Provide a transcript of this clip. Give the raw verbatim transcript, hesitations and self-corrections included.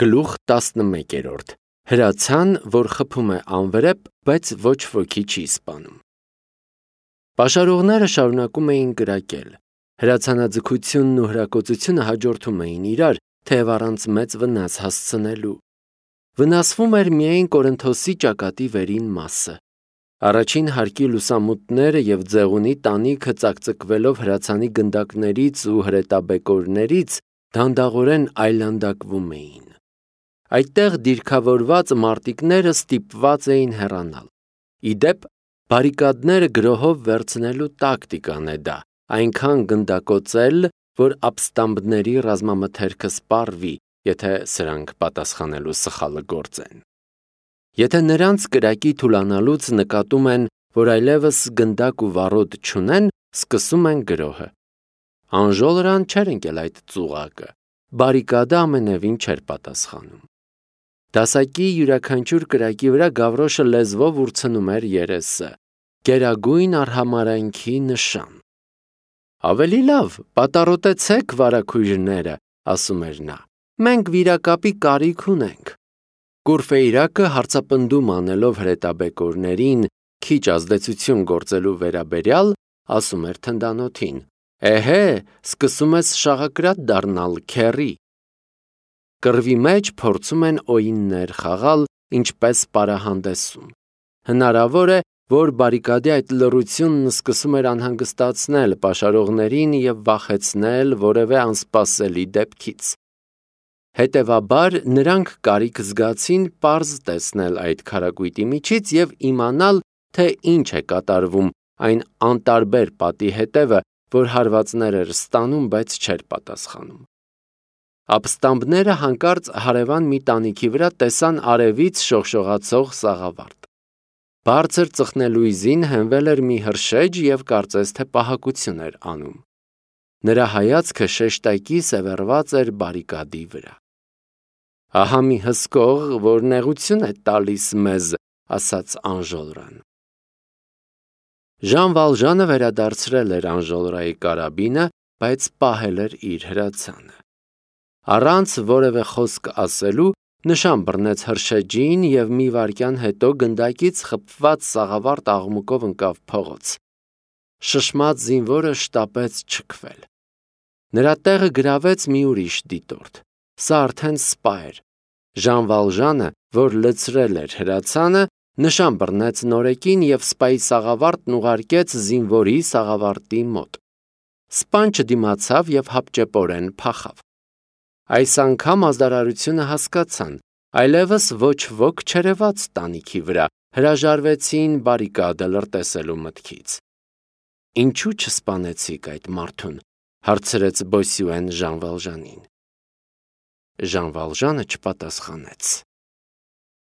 Գլուխ տասնմեկերորդ. Հրացան, որ խփում է անվրեպ, բայց ոչ ոքի չի սպանում։ Պաշարողները շարունակում էին կրակել։ Հրացանաձգությունն ու հրակոծությունը հաջորդում էին իրար, թեև առանց մեծ վնաս հասցնելու։ Վնասվում էր միայն Կորինթոսի ճակատի վերին մասը։ Առաջին հարկի լուսամուտները և ձեղունի տանիքը ծակծկվելով հրացանի գնդակներից ու հրետաբեկորներից դանդաղորեն այլանդակվում էին։ Այդտեղ դիրքավորված մարտիկները ստիպված էին հեռանալ։ Ի դեպ, բարիկադները գրոհով վերցնելու տակտիկան է դա, այնքան գնդակոծել, որ ապստամբների ռազմամթերքը սպառվի, եթե սրանք պատասխանելու սխալը գործեն։ Եթե նրանց կրակի թուլանալուց նկատում են, որ այլևս գնդակ ու վառոդ չունեն, սկսում են գրոհը։ Անժոլրան չէր ընկել այդ ծուղակը, բարիկադը ամենևին չէր պատասխանում։ Դասակի յուրաքանչյուր կրակի վրա Գավրոշը լեզվով ուրցնում էր երեսը, գերագույն արհամարհանքի նշան։ «Ավելի լավ, պատառոտեցեք, վարագույրները», ասում էր նա, «մենք վիրակապի կարիք ունենք»։ Կուրֆեյրակը հարցապնդում անելով հրետաբեկորներին, քիչ ազդեցություն գործելու վերաբերյալ, ասում էր թնդանոթին. «Էհե, սկսում ես շաղակրատ դառնալ, քեռի»։ Կռվի մեջ փորձում են օիններ խաղալ, ինչպես պարահանդեսում։ Հնարավոր է, որ բարիկադի այդ լռությունն սկսում էր անհանգստացնել պաշարողներին և վախեցնել որևէ անսպասելի դեպքից։ Հետևաբար, նրանք կարիք զգացին պարզ տեսնել այդ քարակույտի միջից և իմանալ, թե ինչ է կատարվում այն անտարբեր պատի հետևը, որ հարվածներ էր ստանում, բայց չէր պատասխանում։ Ապստամբները հանկարծ հարևան մի տանիքի վրա տեսան արևից շողշողացող սաղավարտ։ Բարձր ծխնելույզին հենվել էր մի հրշեջ և կարծես թե պահակություն էր անում։ Նրա հայացքը շեշտակի սևեռված էր բարիկադի վրա։ «Ահա մի հսկող, որ նեղություն է տալիս մեզ», ասաց Անժոլրան։ Ժան Վալժանը վերադարձրել էր Անժոլրայի կարաբինը, բայց պահել էր իր հրացանը։ Առանց որևէ խոսք ասելու, նշան բռնեց հրշեջին և մի վայրկյան հետո գնդակից խփված սաղավարտ աղմուկով ընկավ փողոց։ Շշմած զինվորը շտապեց չքվել։ Նրա տեղը գրավեց մի ուրիշ դիտորդ։ Սա արդեն սպա էր։ Ժան Վալժանը, որ լցրել էր հրացանը, նշան բռնեց նորեկին և սպայի սաղավարտն ուղարկեց զինվորի սաղավարտի մոտ։ Սպան չդիմացավ և հապճեպորեն փախավ։ Այս անգամ ազդարարությունը հասկացան, այլևս ոչ ոք չերևաց տանիքի վրա, հրաժարվեցին բարիկադը լրտեսելու մտքից։ «Ինչու չսպանեցիք այդ մարդուն», հարցրեց Բոսյուեն Ժան Վալժանին։ Ժան Վալժանը չպատասխանեց։